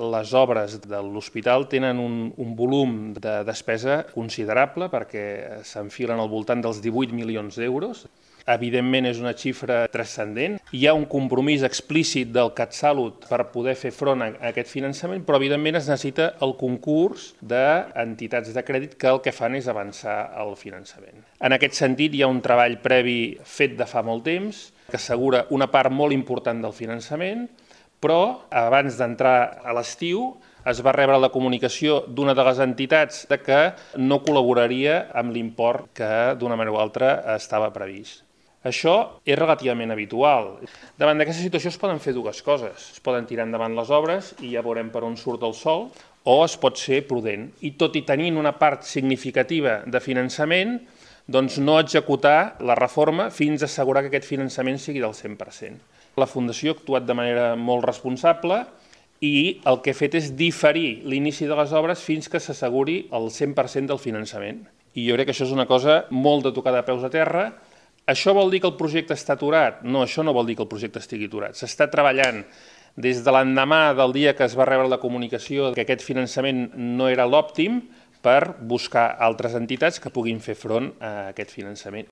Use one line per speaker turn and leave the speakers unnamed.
les obres de l'hospital tenen un volum de despesa considerable perquè s'enfilen al voltant dels 18 milions d'euros. Evidentment és una xifra transcendent. Hi ha un compromís explícit del CatSalut per poder fer front a aquest finançament, però evidentment es necessita el concurs d'entitats de crèdit que el que fan és avançar el finançament. En aquest sentit hi ha un treball previ fet de fa molt temps que assegura una part molt important del finançament, però abans d'entrar a l'estiu es va rebre la comunicació d'una de les entitats que no col·laboraria amb l'import que d'una manera o altra estava previst. Això és relativament habitual. Davant d'aquesta situació es poden fer dues coses. Es poden tirar endavant les obres i ja veurem per on surt el sol, o es pot ser prudent. I tot i tenint una part significativa de finançament, doncs no executar la reforma fins a assegurar que aquest finançament sigui del 100%. La Fundació ha actuat de manera molt responsable i el que ha fet és diferir l'inici de les obres fins que s'asseguri el 100% del finançament. I jo crec que això és una cosa molt de tocar de peus a terra. Això vol dir que el projecte està aturat? No, això no vol dir que el projecte estigui aturat. S'està treballant des de l'endemà del dia que es va rebre la comunicació que aquest finançament no era l'òptim per buscar altres entitats que puguin fer front a aquest finançament.